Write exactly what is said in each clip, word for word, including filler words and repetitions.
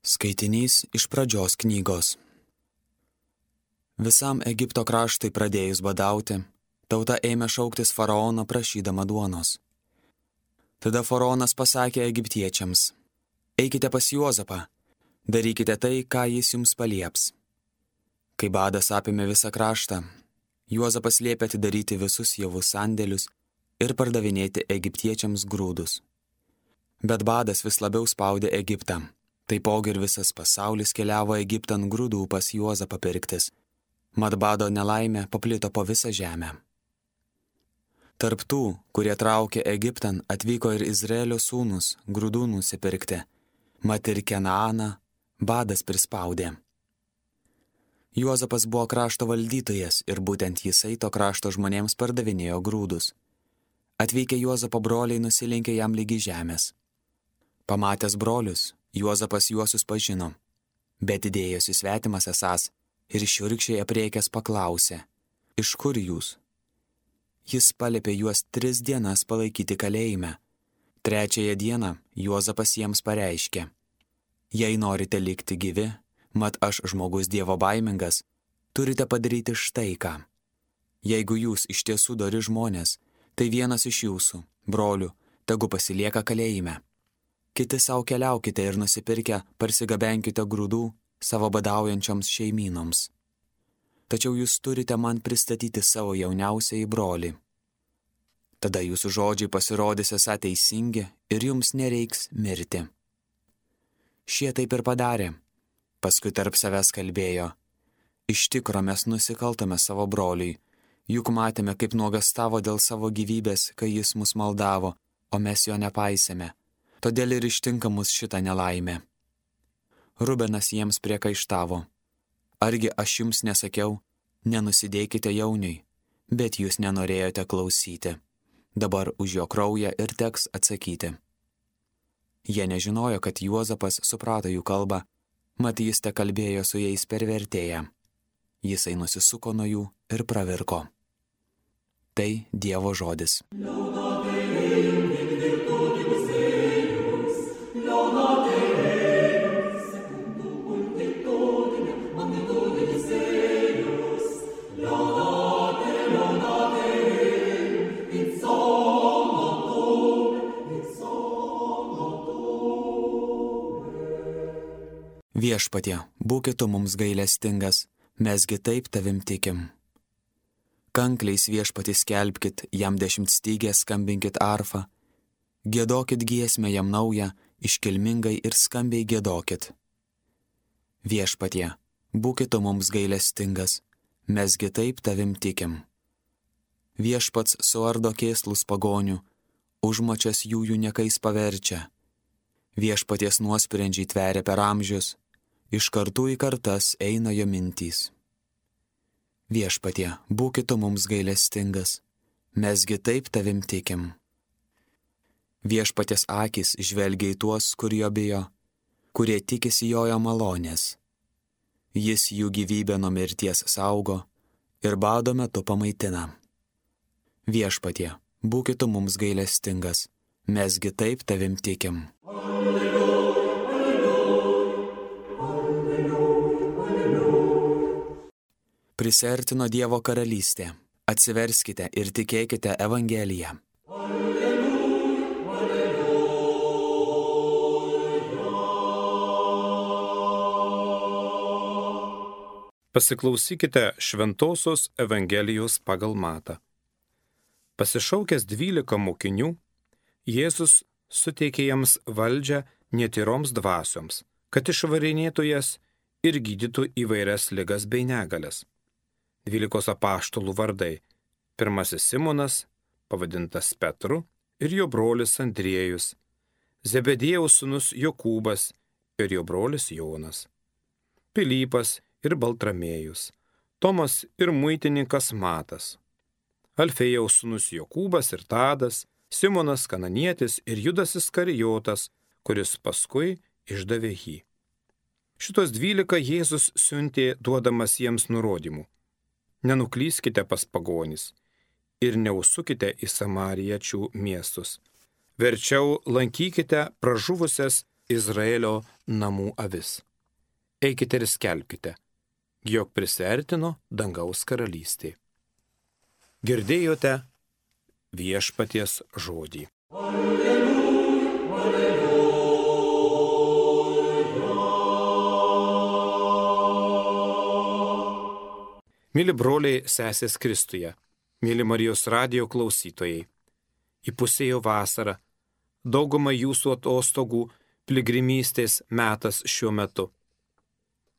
Skaitinys iš pradžios knygos. Visam Egipto kraštui pradėjus badauti, tauta ėmė šauktis faraono prašydama duonos. Tada faraonas pasakė egiptiečiams: eikite pas Juozapą, darykite tai, ką jis jums palieps. Kai badas apėmė visą kraštą, Juozapas liepė atidaryti visus javų sandėlius ir pardavinėti egiptiečiams grūdus. Bet badas vis labiau spaudė Egiptą. Taipogi ir visas pasaulis keliavo Egiptan grūdų pas Juozapą pirktis. Mat bado nelaimė paplito po visą žemę. Tarp tų, kurie traukė Egiptan, atvyko ir Izraelio sūnus grūdų nusipirkti. Mat ir Kenaaną badas prispaudė. Juozapas buvo krašto valdytojas ir būtent jisai to krašto žmonėms pardavinėjo grūdus. Atvykę Juozapo broliai nusilenkė jam lygi žemės. Pamatęs brolius, Juozapas juos susipažino, bet įdėjosi svetimas esąs ir šiurkščiai apriekęs paklausė: iš kur jūs? Jis paliepė juos tris dienas palaikyti kalėjime. Trečiąją dieną Juozapas jiems pareiškė: jei norite likti gyvi, mat aš žmogus dievo baimingas, turite padaryti štai ką. Jeigu jūs iš tiesų dori žmonės, tai vienas iš jūsų, brolių, tegu pasilieka kalėjime. Kiti savo keliaukite ir nusipirkę parsigabenkite grūdų savo badaujančioms šeimynoms. Tačiau jūs turite man pristatyti savo jauniausiąjį brolį. Tada jūsų žodžiai pasirodys esą teisingi ir jums nereiks mirti. Šie taip ir padarė. Paskui tarp savęs kalbėjo: iš tikro mes nusikaltome savo broliui, juk matėme, kaip nuogastavo dėl savo gyvybės, kai jis mus maldavo, o mes jo nepaisėme. Todėl ir ištinka mus šitą nelaimę. Rubenas jiems priekaištavo: argi aš jums nesakiau, nenusidėkite jauniui, bet jūs nenorėjote klausyti. Dabar už jo kraują ir teks atsakyti. Jie nežinojo, kad Juozapas suprato jų kalbą, mat jis te kalbėjo su jais per vertėją. Jisai nusisuko nuo jų ir pravirko. Tai Dievo žodis. Viešpatie, būki tu mums gailestingas, mesgi taip tavim tikim. Kankliais viešpatis skelbkit, jam dešimtstygę skambinkit arfą, giedokit giesmę jam naują, iškilmingai ir skambiai giedokit. Viešpatie, būki tu mums gailestingas, mesgi taip tavim tikim. Viešpats suardo kėslus pagonių, užmačias jų jų niekais paverčia. Viešpaties nuosprendžiai tveria per amžius, iš kartų į kartas eina jo mintys. Viešpatie, būki tu mums gailestingas, mesgi taip tavim tikim. Viešpaties akys žvelgia į tuos, kur jo bijo, kurie tikisi jojo malonės. Jis jų gyvybę nuo mirties saugo ir bado metu pamaitina. Viešpatie, būki tu mums gailestingas, mesgi taip tavim tikim. Prisiartino Dievo karalystė. Atsiverskite ir tikėkite Evangeliją. Pasiklausykite Šventosios Evangelijos pagal Matą. Pasišaukęs dvylika mokinių, Jėzus suteikė jiems valdžią netyroms dvasioms, kad išvarinėtų jas ir gydytų įvairias ligas bei negalias. Dvylikos apaštalų vardai: pirmasis Simonas, pavadintas Petru, ir jo brolis Andriejus, Zebediejaus sūnus Jokūbas ir jo brolis Jonas, Pilypas ir Baltramėjus, Tomas ir muitininkas Matas, Alfėjaus sūnus Jokūbas ir Tadas, Simonas Kananietis ir Judas Iskarijotas, kuris paskui išdavė jį. Šitos dvylika Jėzus siuntė duodamas jiems nurodymų: nenuklyskite pas pagonis ir neužsukite į samariečių miestus. Verčiau lankykite pražuvusias Izraelio namų avis. Eikite ir skelbkite, jog prisiartino dangaus karalystė. Girdėjote viešpaties žodį. Alleluja, alleluja. Mėly broliai, sesės Kristuje, mėly Marijos radijo klausytojai, įpusėjo vasara, dauguma jūsų atostogų, piligrimystės metas šiuo metu.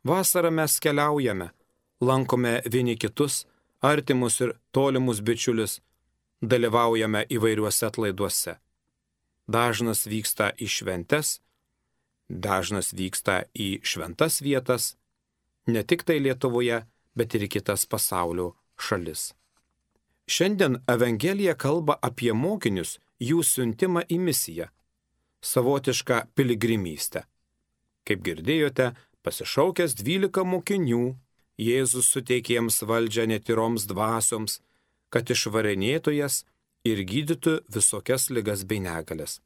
Vasarą mes keliaujame, lankome vieni kitus, artimus ir tolimus bičiulius, dalyvaujame įvairiuose atlaiduose. Dažnas vyksta į šventes, dažnas vyksta į šventas vietas, ne tik tai Lietuvoje, bet ir į kitas pasaulio šalis. Šiandien Evangelija kalba apie mokinius, jų siuntimą į misiją, savotišką piligrimystę. Kaip girdėjote, pasišaukęs dvylika mokinių, Jėzus suteikė jiems valdžią netyroms dvasioms, kad išvarinėtų jas ir gydytų visokias ligas bei negalias.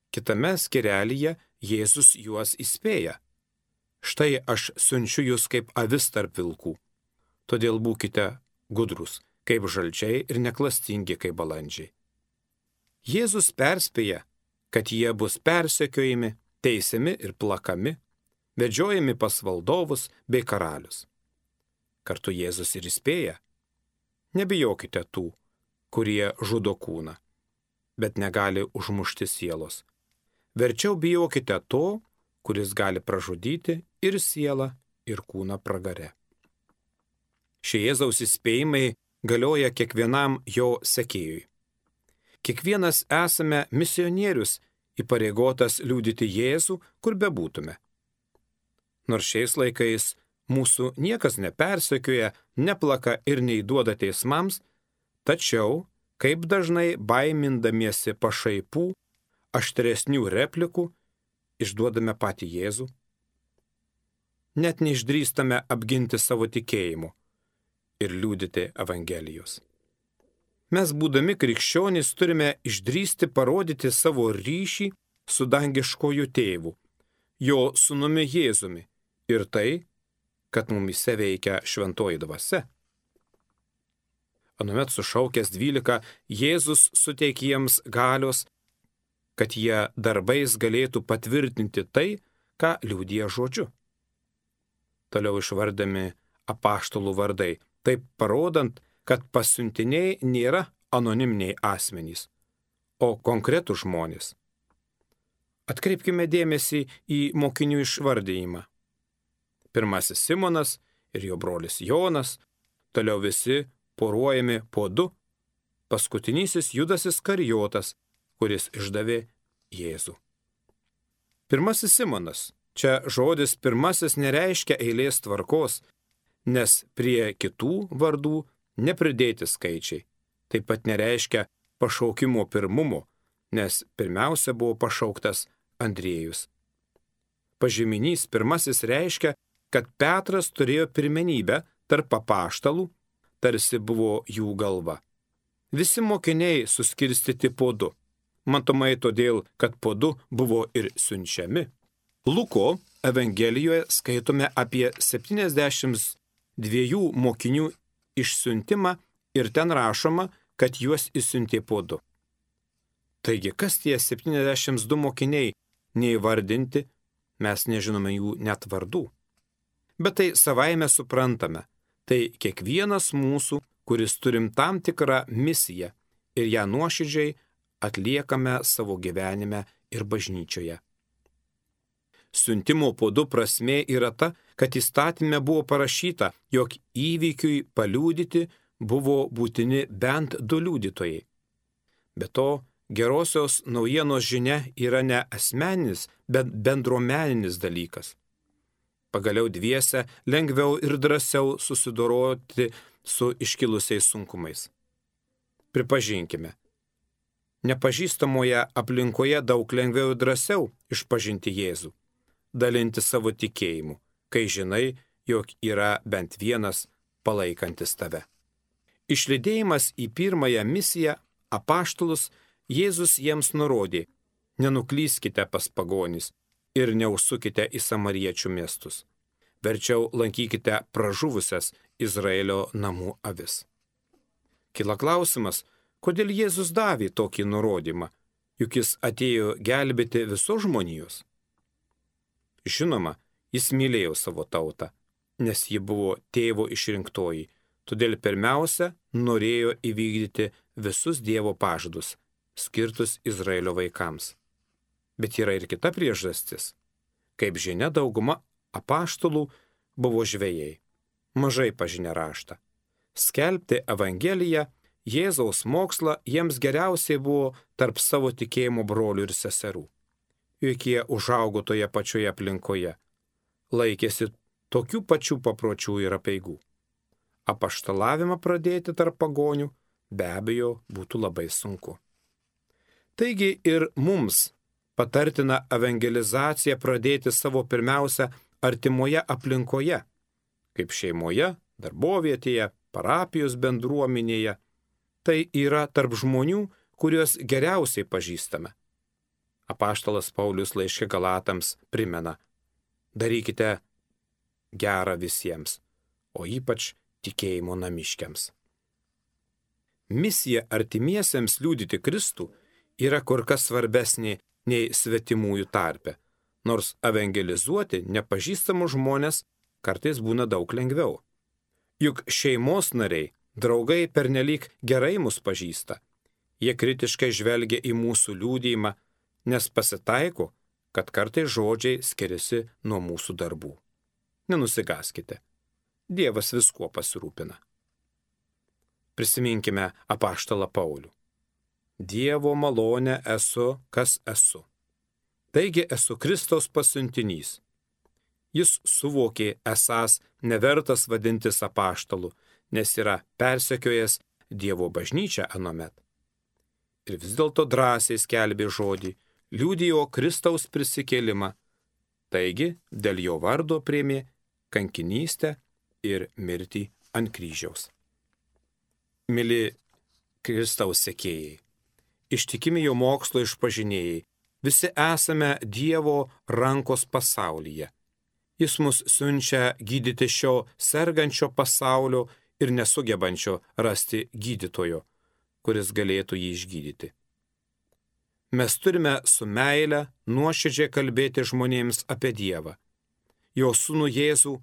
Kitame skyrelyje Jėzus juos įspėja. Štai aš siunčiu jūs kaip avis tarp vilkų, todėl būkite gudrus, kaip žalčiai ir neklastingi kaip balandžiai. Jėzus perspėja, kad jie bus persekiojami, teisiami ir plakami, vedžiojami pas valdovus bei karalius. Kartu Jėzus ir įspėja, nebijokite tų, kurie žudo kūną, bet negali užmušti sielos. Verčiau bijokite to, kuris gali pražudyti ir sielą, ir kūną pragare. Šie Jėzaus įspėjimai galioja kiekvienam jo sekėjui. Kiekvienas esame misionierius, įpareigotas liudyti Jėzų, kur bebūtume. Nors šiais laikais mūsų niekas nepersekioja, neplaka ir neįduoda teismams, tačiau, kaip dažnai baimindamiesi pašaipų, aštresnių replikų, išduodame patį Jėzų. Net neišdrįstame apginti savo tikėjimu ir liudyti Evangelijos. Mes, būdami krikščionys, turime išdrįsti parodyti savo ryšį su dangiškoju tėvu, jo sūnumi Jėzumi ir tai, kad mumyse veikia šventoji dvasia. Anuomet sušaukęs dvylika, Jėzus suteikė jiems galios, kad jie darbais galėtų patvirtinti tai, ką liudija žodžiu. Toliau išvardami apaštalų vardai, taip parodant, kad pasiuntiniai nėra anoniminiai asmenys, o konkretų žmonės. Atkreipkime dėmesį į mokinių išvardėjimą. Pirmasis Simonas ir jo brolis Jonas, toliau visi poruojami po du, paskutinysis Judas Iskarijotas, kuris išdavė Jėzų. Pirmasis Simonas. Čia žodis pirmasis nereiškia eilės tvarkos, nes prie kitų vardų nepridėti skaičiai. Taip pat nereiškia pašaukimo pirmumo, nes pirmiausia buvo pašauktas Andriejus. Pažyminys pirmasis reiškia, kad Petras turėjo pirmenybę tarp apaštalų, tarsi buvo jų galva. Visi mokiniai suskirstyti po du. Matomai todėl, kad po du buvo ir siunčiami. Luko Evangelijoje skaitome apie septyniasdešimt dviejų mokinių išsiuntimą ir ten rašoma, kad juos išsiuntė po du. Taigi, kas tie septyniasdešimt du mokiniai neįvardinti, mes nežinome jų net vardų. Bet tai savaime suprantame, tai kiekvienas mūsų, kuris turim tam tikrą misiją ir ją nuoširdžiai atliekame savo gyvenime ir bažnyčioje. Siuntimo po du prasmė yra ta, kad įstatyme buvo parašyta, jog įvykiui paliudyti buvo būtini bent du liudytojai. Be to, gerosios naujienos žinia yra ne asmeninis, bet bendruomeninis dalykas. Pagaliau dviese lengviau ir drąsiau susidoroti su iškilusiais sunkumais. Pripažinkime, nepažįstamoje aplinkoje daug lengviau ir drąsiau išpažinti Jėzų, dalinti savo tikėjimu, kai žinai, jog yra bent vienas palaikantis tave. Išlydėjimas į pirmąją misiją apaštalus Jėzus jiems nurodė, Nenuklyskite pas pagonis ir neužsukite į samariečių miestus. Verčiau lankykite pražuvusias Izraelio namų avis. Kila klausimas, kodėl Jėzus davė tokį nurodymą, juk jis atėjo gelbėti visos žmonijos. Žinoma, jis mylėjo savo tautą, nes ji buvo tėvo išrinktoji, todėl pirmiausia norėjo įvykdyti visus Dievo pažadus, skirtus Izraelio vaikams. Bet yra ir kita priežastis. Kaip žinia, dauguma apaštalų buvo žvejai, mažai pažinę raštą. Skelbti Evangeliją, Jėzaus mokslą jiems geriausiai buvo tarp savo tikėjimo brolių ir seserų. Juk jie užaugo toje pačioje aplinkoje, laikėsi tokių pačių papročių ir apeigų. Apaštalavimą pradėti tarp pagonių be abejo būtų labai sunku. Taigi ir mums patartina evangelizaciją pradėti savo pirmiausia artimoje aplinkoje, kaip šeimoje, darbovietėje, parapijos bendruomenėje. Tai yra tarp žmonių, kuriuos geriausiai pažįstame. Apaštalas Paulius laiške Galatams primena: darykite gerą visiems, o ypač tikėjimo namiškiams. Misija artimiesiems liudyti Kristų yra kur kas svarbesnė nei svetimųjų tarpe, nors evangelizuoti nepažįstamus žmonės kartais būna daug lengviau. Juk šeimos nariai, draugai pernelyg gerai mus pažįsta. Jie kritiškai žvelgia į mūsų liudijimą, nes pasitaiko, kad kartais žodžiai skiriasi nuo mūsų darbų. Nenusigaskite. Dievas viskuo pasirūpina. Prisiminkime apaštalą Paulių. Dievo malonę esu, kas esu. Taigi esu Kristaus pasiuntinys. Jis suvokė esąs nevertas vadintis apaštalu, nes yra persekiojęs Dievo bažnyčią anuomet. Ir vis dėlto drąsiai skelbė žodį, liudijo Kristaus prisikėlimą. Taigi dėl jo vardo priėmė kankinystę ir mirtį ant kryžiaus. Mili Kristaus sekėjai, ištikimi jo mokslo išpažinėjai, visi esame Dievo rankos pasaulyje. Jis mus siunčia gydyti šio sergančio pasaulio ir nesugebančio rasti gydytojo, kuris galėtų jį išgydyti. Mes turime su meile nuoširdžiai kalbėti žmonėms apie Dievą, jo sūnų Jėzų,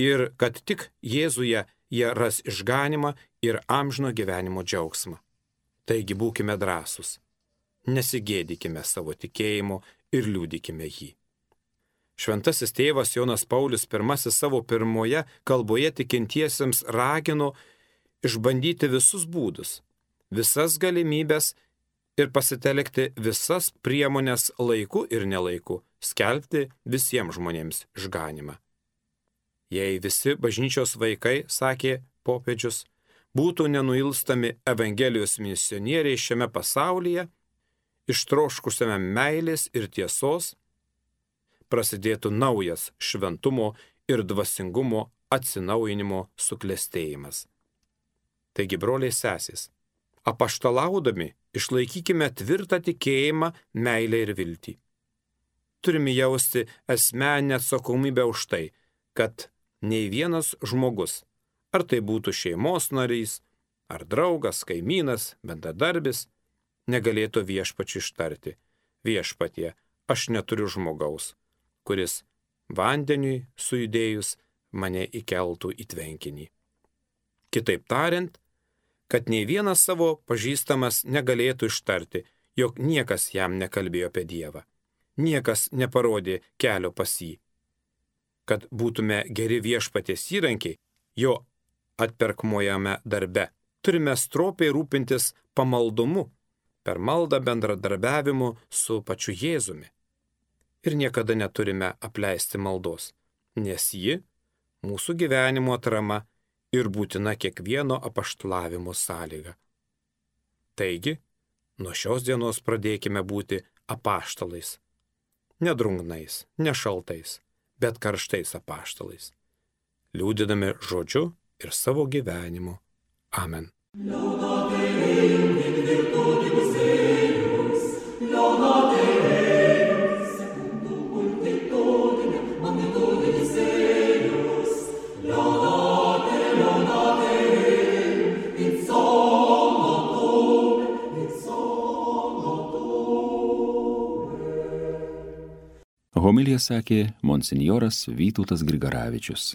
ir kad tik Jėzuje jie ras išganimą ir amžino gyvenimo džiaugsmą. Taigi būkime drąsūs, nesigėdykime savo tikėjimo ir liudykime jį. Šventasis tėvas Jonas Paulius pirmasis savo pirmoje kalboje tikintiesiems ragino išbandyti visus būdus, visas galimybės ir pasitelkti visas priemonės laiku ir nelaiku, skelbti visiems žmonėms išganimą. Jei visi bažnyčios vaikai, sakė popiežius, būtų nenuilstami Evangelijos misionieriai šiame pasaulyje, ištroškusiame meilės ir tiesos, prasidėtų naujas šventumo ir dvasingumo atsinaujinimo suklestėjimas. Taigi, broliai sesės, apaštalaudami išlaikykime tvirtą tikėjimą, meilę ir viltį. Turime jausti asmeninę atsakomybę už tai, kad nei vienas žmogus, ar tai būtų šeimos narys, ar draugas, kaimynas, bendradarbis, negalėtų viešpačiui ištarti: viešpatie, aš neturiu žmogaus, kuris vandeniui sujudėjus mane įkeltų į tvenkinį. Kitaip tariant, kad nei vienas savo pažįstamas negalėtų ištarti, jog niekas jam nekalbėjo apie Dievą, niekas neparodė kelio pas jį. Kad būtume geri viešpaties įrankiai jo atperkamojame darbe, turime stropiai rūpintis pamaldumu, per maldą bendradarbiavimu su pačiu Jėzumi. Ir niekada neturime apleisti maldos, nes ji mūsų gyvenimo atrama ir būtina kiekvieno apaštalavimo sąlyga. Taigi, nuo šios dienos pradėkime būti apaštalais. Ne drungnais, ne šaltais, bet karštais apaštalais, liudydami žodžiu ir savo gyvenimu. Amen. Laudate in virtutis eius, laudate Homiliją sakė monsinjoras Vytautas Grigaravičius.